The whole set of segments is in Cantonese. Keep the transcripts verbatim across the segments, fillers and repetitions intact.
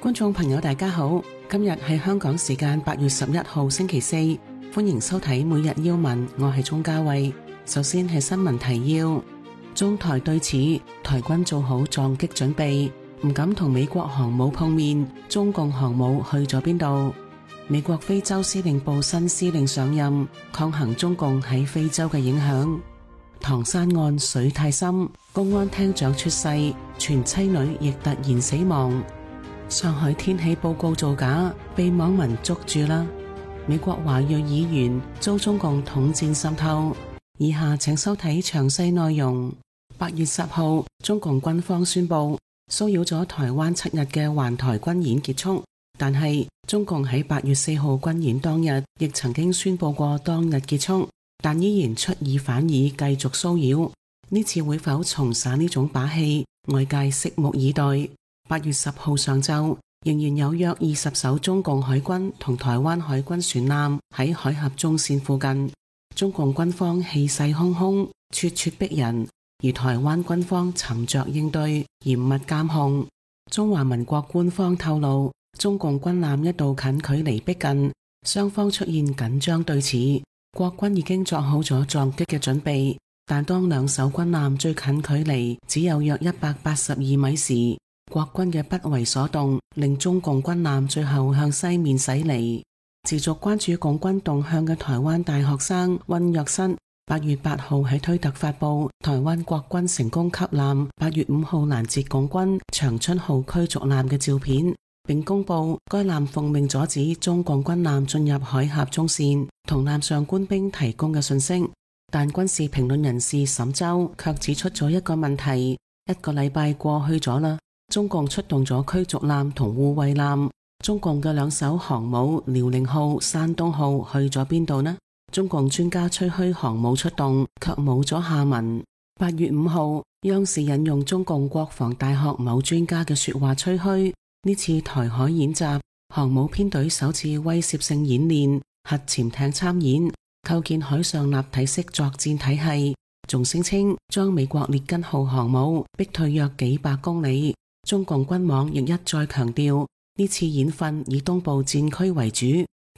觀眾朋友大家好，今日係香港時間八月十一號星期四，歡迎收睇每日要聞，我係鍾嘉慧。首先係新聞提要，中台對峙，台軍做好撞擊準備，唔敢同美國航母碰面，中共航母去咗邊度？美國非洲司令部新司令上任，抗衡中共喺非洲嘅影響。唐山案水太深，公安廳長出事，傳妻女亦突然死亡。上海天氣報告造假，被網民捉住啦。美國華裔議員遭中共統戰滲透。以下請收睇詳細內容。八月十號，中共軍方宣布騷擾咗台灣七日嘅環台軍演結束，但係中共喺八月四號軍演當日亦曾經宣布過當日結束，但依然出爾反爾繼續騷擾。呢次會否重耍呢種把戲？外界拭目以待。八月十號上晝，仍然有約二十艘中共海軍同台灣海軍船艦喺海峽中線附近。中共軍方氣勢洶洶，咄咄逼人，而台灣軍方沉着應對，嚴密監控。中華民國官方透露，中共軍艦一度近距離逼近，雙方出現緊張對峙，國軍已經作好咗撞擊嘅準備，但當兩艘軍艦最近距離只有約一百八十二米時，國軍嘅不為所動，令中共軍艦最後向西面駛離。持續關注共軍動向嘅台灣大學生溫若瑟，八月八號喺推特發布台灣國軍成功吸艦八月五號攔截共軍長春號驅逐艦嘅照片，並公布該艦奉命阻止中共軍艦進入海峽中線，同艦上官兵提供嘅信息。但軍事評論人士沈洲卻指出咗一個問題：一個禮拜過去咗啦，中共出動咗驅逐艦同護衛艦，中共嘅兩艘航母遼寧號、山東號去咗邊度呢？中共專家吹噓航母出動，卻冇咗下文。八月五號，央視引用中共國防大學某專家嘅說話吹噓，呢次台海演習，航母編隊首次威懾性演練，核潛艇參演，構建海上立體式作戰體系，仲聲稱將美國列根號航母逼退約幾百公里。中共軍網亦一再強調，呢次演訓以東部戰區為主，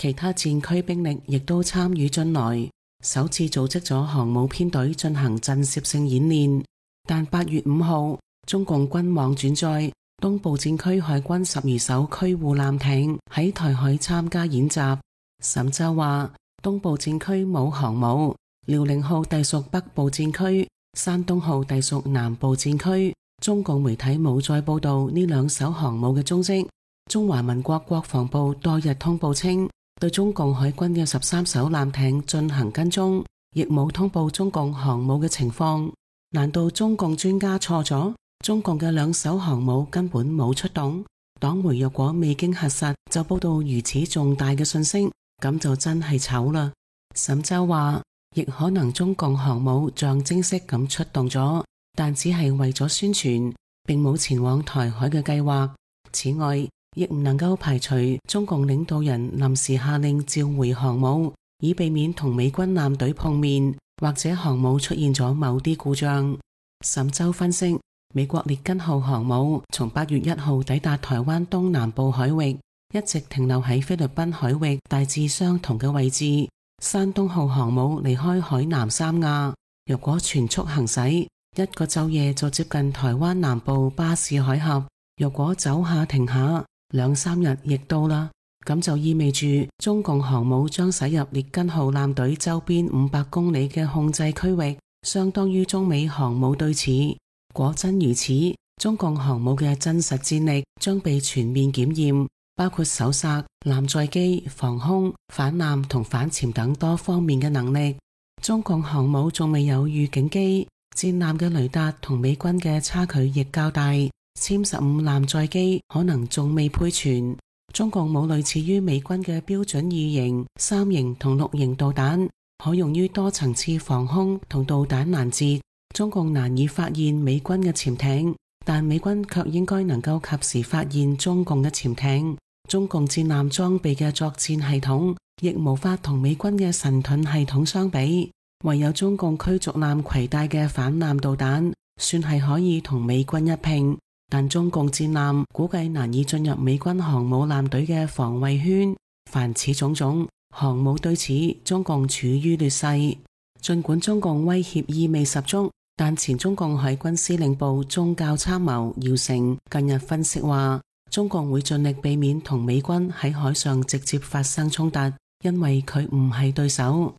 其他戰區兵力亦都參與進來，首次組織咗航母編隊進行震懾性演練。但八月五號，中共軍網轉載東部戰區海軍十二艘驅護艦艇喺台海參加演習。沈洲話，東部戰區冇航母，遼寧號隸屬北部戰區，山東號隸屬南部戰區。中共媒體冇再報道呢兩艘航母嘅蹤跡。中華民國國防部多日通報稱，對中共海軍嘅十三艘艦艇進行跟蹤，亦冇通報中共航母嘅情況。難道中共專家錯咗？中共嘅兩艘航母根本冇出動？黨媒若果未經核實就報道如此重大嘅信息，咁就真係醜啦。沈洲話，亦可能中共航母象徵式咁出動咗，但只係為咗宣傳，並冇前往台海嘅計劃。此外，亦唔能夠排除中共領導人臨時下令召回航母，以避免同美軍艦隊碰面，或者航母出現咗某啲故障。沈洲分析，美國列根號航母從八月一號抵達台灣東南部海域，一直停留喺菲律賓海域大致相同嘅位置。山東號航母離開海南三亞，若果全速行駛，一個晝夜就接近台灣南部巴士海峽，若果走下停下，兩三日亦到啦。咁就意味住中共航母將駛入列根號艦隊周邊五百公里嘅控制區域，相當於中美航母對峙。果真如此，中共航母嘅真實戰力將被全面檢驗，包括搜索、艦載機、防空、反艦同反潛等多方面嘅能力。中共航母仲未有預警機，戰艦嘅雷達同美軍嘅差距亦較大，殲十五艦載機可能仲未配全。中共冇類似於美軍嘅標準二型、三型同六型導彈，可用於多層次防空同導彈攔截。中共難以發現美軍嘅潛艇，但美軍卻應該能夠及時發現中共嘅潛艇。中共戰艦裝備嘅作戰系統亦無法同美軍嘅神盾系統相比。唯有中共驅逐艦攜帶嘅反艦導彈，算係可以同美軍一拼。但中共戰艦估計難以進入美軍航母艦隊嘅防衛圈。凡此種種，航母對此中共處於劣勢。儘管中共威脅意味十足，但前中共海軍司令部宗教參謀姚成近日分析話，中共會盡力避免同美軍喺海上直接發生衝突，因為佢唔係對手。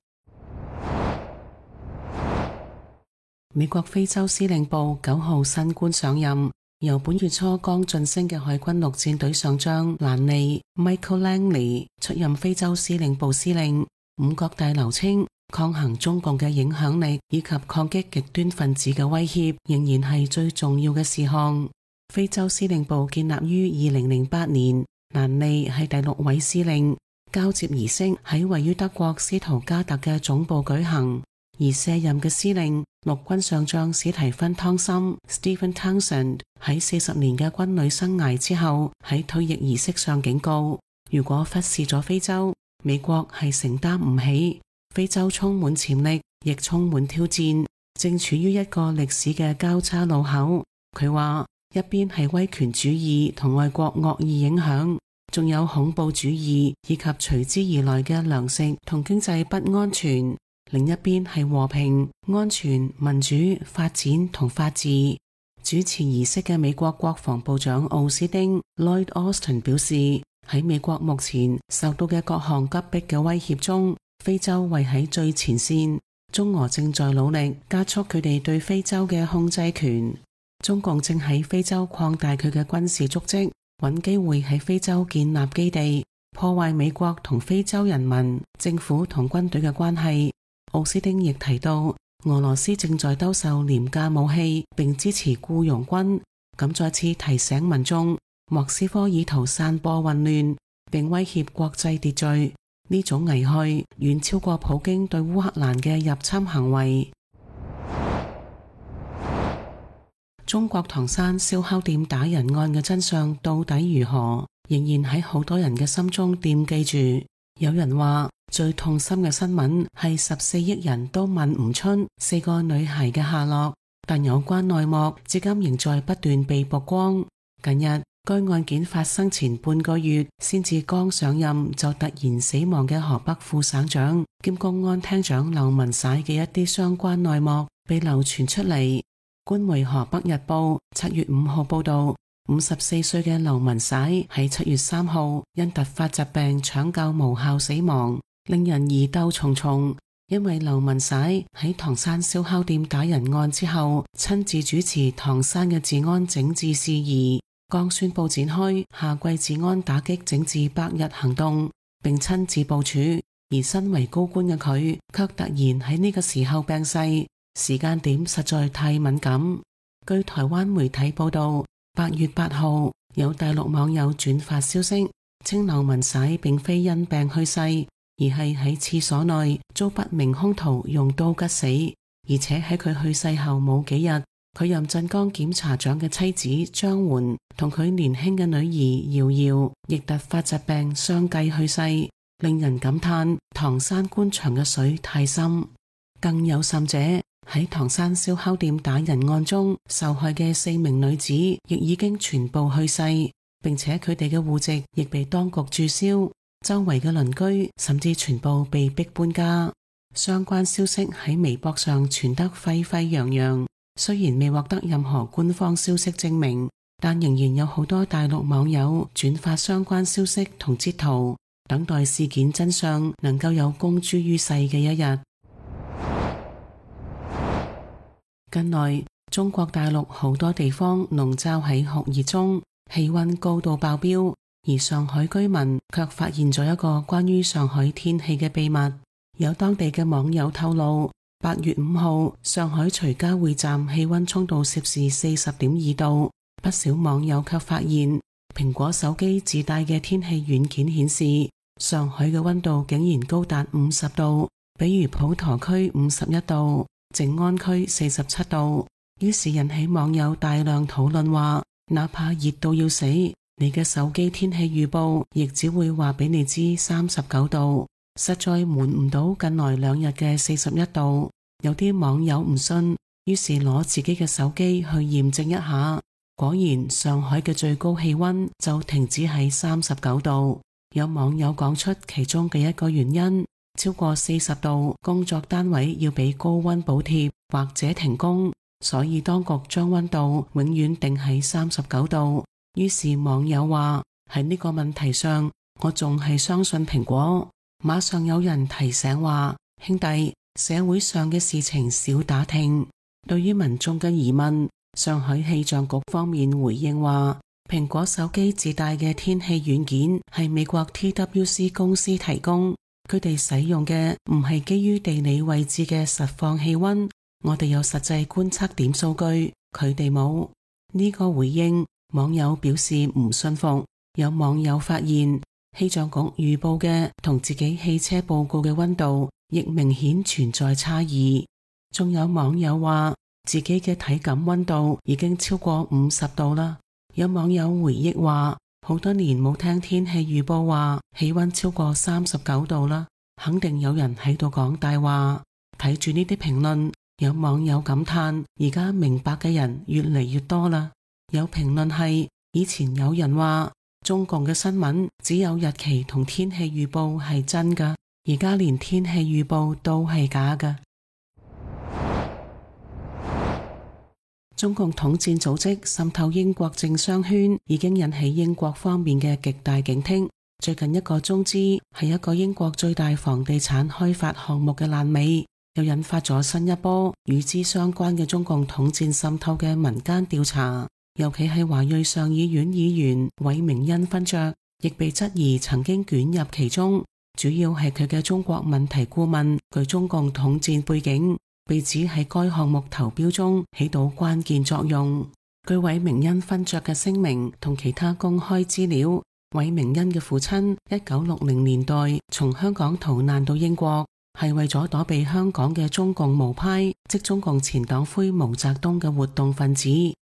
美國非洲司令部九號新官上任，由本月初剛晉升嘅海軍陸戰隊上將蘭利 Michael Langley 出任非洲司令部司令。五角大樓稱，抗衡中共嘅影響力以及抗擊極端分子嘅威脅仍然係最重要嘅事項。非洲司令部建立於二零零八年，蘭利係第六位司令。交接儀式喺位於德國斯圖加特嘅總部舉行，而卸任嘅司令陸軍上將史提芬湯森 Stephen Townsend 喺四十年嘅軍旅生涯之後，喺退役儀式上警告，如果忽視咗非洲，美國係承擔唔起。非洲充滿潛力，亦充滿挑戰，正處於一個歷史嘅交叉路口。佢話一邊係威權主義同外國惡意影響，仲有恐怖主義以及隨之而來嘅糧食同經濟不安全，另一邊係和平、安全、民主、發展同法治。主持儀式嘅美國國防部長奧斯汀 Lloyd Austin 表示，喺美國目前受到嘅各項急迫嘅威脅中，非洲位喺最前線，中俄正在努力加速佢哋對非洲嘅控制權。中共正喺非洲擴大佢嘅軍事足跡，揾機會喺非洲建立基地，破壞美國同非洲人民、政府同軍隊嘅關係。奧斯汀亦提到，俄羅斯正在兜售廉價武器並支持僱傭軍，咁再次提醒民眾，莫斯科意圖散播混亂並威脅國際秩序。呢種危害遠超過普京對烏克蘭嘅入侵行為。中國唐山燒烤店打人案嘅真相到底如何，仍然喺好多人嘅心中惦記住。有人話最痛心嘅新聞係十四億人都問唔出四個女孩嘅下落，但有關內幕至今仍在不斷被曝光。近日該案件發生前半個月，先至剛上任就突然死亡嘅河北副省長兼公安廳長劉文璽嘅一啲相關內幕被流傳出嚟。官媒河北日報七月五號報道，五十四歲嘅劉文璽喺七月三號因突發疾病搶救無效死亡，令人疑竇重重。因為劉文璽喺唐山燒烤店打人案之後，親自主持唐山嘅治安整治事宜，剛宣布展開夏季治安打擊整治百日行動，並親自部署。而身為高官嘅佢，卻突然喺呢個時候病逝，時間點實在太敏感。據台灣媒體報道，八月八號有大陸網友轉發消息，稱劉文璽並非因病去世，而係喺廁所內遭不明兇徒用刀吉死，而且喺佢去世後冇幾日，佢任鎮江檢察長嘅妻子張媛同佢年輕嘅女兒瑤瑤亦突發疾病相繼去世，令人感嘆唐山官場嘅水太深。更有甚者，喺唐山燒烤店打人案中受害嘅四名女子亦已經全部去世，並且佢哋嘅戶籍亦被當局註銷，周圍嘅鄰居甚至全部被逼搬家。相關消息喺微博上傳得沸沸揚揚，雖然未獲得任何官方消息證明，但仍然有好多大陸網友轉發相關消息同截圖，等待事件真相能夠有公諸於世嘅一日。近來中國大陸好多地方籠罩喺酷熱中，氣溫高度爆標，而上海居民卻發現咗一個關於上海天氣嘅秘密。有當地嘅網友透露，八月五號上海徐家匯站氣溫衝到攝氏四十點二度，不少網友卻發現蘋果手機自帶嘅天氣軟件顯示上海嘅溫度竟然高達五十度，比如普陀區五十一度，靜安區四十七度，於是引起網友大量討論話，哪怕熱到要死，你嘅手機天氣預報亦只會話俾你知三十九度，實在瞞唔到近來兩日嘅四十一度。有啲網友唔信，於是攞自己嘅手機去驗證一下，果然上海嘅最高氣溫就停止喺三十九度。有網友講出其中嘅一個原因，超過四十度工作單位要俾高溫補貼或者停工，所以當局將溫度永遠定喺三十九度。於是網友話，喺呢個問題上，我仲係相信蘋果。馬上有人提醒話，兄弟，社會上嘅事情少打聽。對於民眾嘅疑問，上海氣象局方面回應話，蘋果手機自帶嘅天氣軟件係美國 T W C 公司提供，佢哋使用嘅唔係基於地理位置嘅實況氣溫，我哋有實際觀測點數據，佢哋冇。呢個回應，網友表示唔信服。有網友發現，氣象局預報嘅同自己汽車報告嘅溫度亦明顯存在差異。仲有網友話自己嘅體感溫度已經超過五十度啦。有網友回憶話，好多年冇聽天氣預報話氣溫超過三十九度啦，肯定有人喺度講大話。睇住呢啲評論，有網友感嘆，而家明白嘅人越嚟越多啦。有評論係，以前有人話中共嘅新聞只有日期同天氣預報係真㗎，而家連天氣預報都係假㗎。中共統戰組織滲透英國政商圈，已經引起英國方面嘅極大警惕。最近一個中資係一個英國最大房地產開發項目嘅爛尾，又引發咗新一波與之相關嘅中共統戰滲透嘅民間調查。尤其係華裔上議院議員韋明恩勳爵，亦被質疑曾經捲入其中。主要係佢嘅中國問題顧問具中共統戰背景，被指喺該項目投標中起到關鍵作用。據韋明恩勳爵嘅聲明同其他公開資料，韋明恩嘅父親一九六零年代從香港逃難到英國，係為咗躲避香港嘅中共毛派，即中共前黨魁毛澤東嘅活動分子。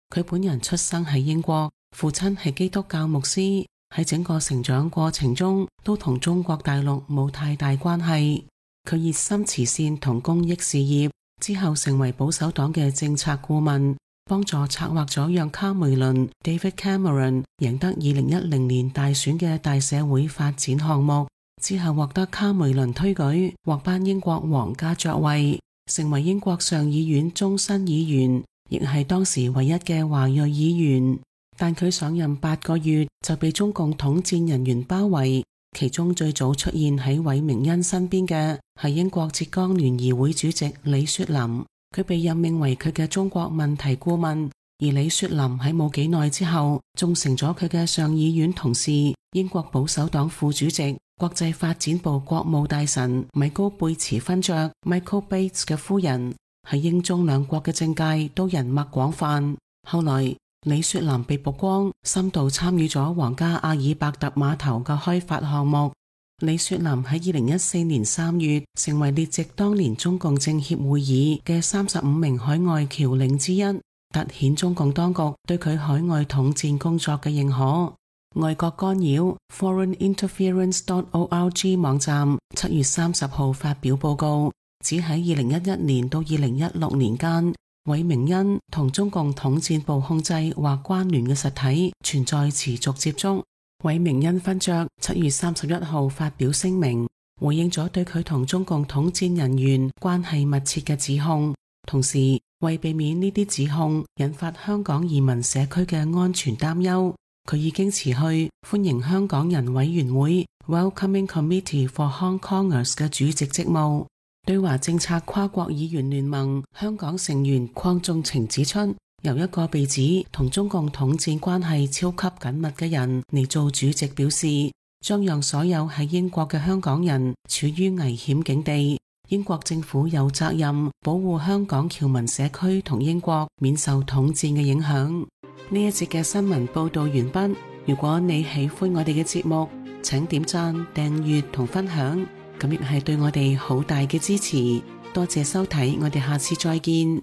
佢本人出生喺英國，父親係基督教牧師，喺整個成長過程中都同中國大陸冇太大關係。佢熱心慈善同公益事業，之後成為保守黨嘅政策顧問，幫助策劃咗讓卡梅倫 David Cameron 贏得二零一零年大選嘅大社會發展項目，之後獲得卡梅倫推舉，獲頒英國皇家爵位，成為英國上議院終身議員，亦係當時唯一嘅華裔議員。但佢上任八個月就被中共統戰人員包圍，其中最早出現喺韋明恩身邊嘅係英國浙江聯誼會主席李雪林，佢被任命為佢嘅中國問題顧問。而李雪林喺冇幾耐之後仲成咗佢嘅上議院同事，英國保守黨副主席、國際發展部國務大臣米高貝茨勳爵 Michael Bates 嘅夫人。喺英中兩國嘅政界都人脈廣泛。後來李雪林被曝光深度參與咗皇家阿爾伯特碼頭嘅開發項目。李雪林喺二零一四年三月成為列席當年中共政協會議嘅三十五名海外僑領之一，凸顯中共當局對佢海外統戰工作嘅認可。外國干擾 foreign interference dot org 網站七月三十號發表報告，只喺二零一一年到二零一六年間，韋明恩同中共統戰部控制或關聯嘅實體存在持續接觸。韋明恩勳爵七月三十一號發表聲明，回應咗對佢同中共統戰人員關係密切嘅指控，同時為避免呢啲指控引發香港移民社區嘅安全擔憂，佢已經辭去歡迎香港人委員會 Welcoming Committee for Hong Kongers 嘅主席職務。對華政策跨國議員聯盟香港成員鄺仲晴指出，由一個被指同中共統戰關係超級緊密嘅人嚟做主席，表示將讓所有喺英國嘅香港人處於危險境地。英國政府有責任保護香港僑民社區同英國免受統戰嘅影響。呢一節嘅新聞報道完畢。如果你喜歡我哋嘅節目，請點讚、訂閱同分享。咁亦係對我哋好大嘅支持，多謝收睇，我哋下次再見。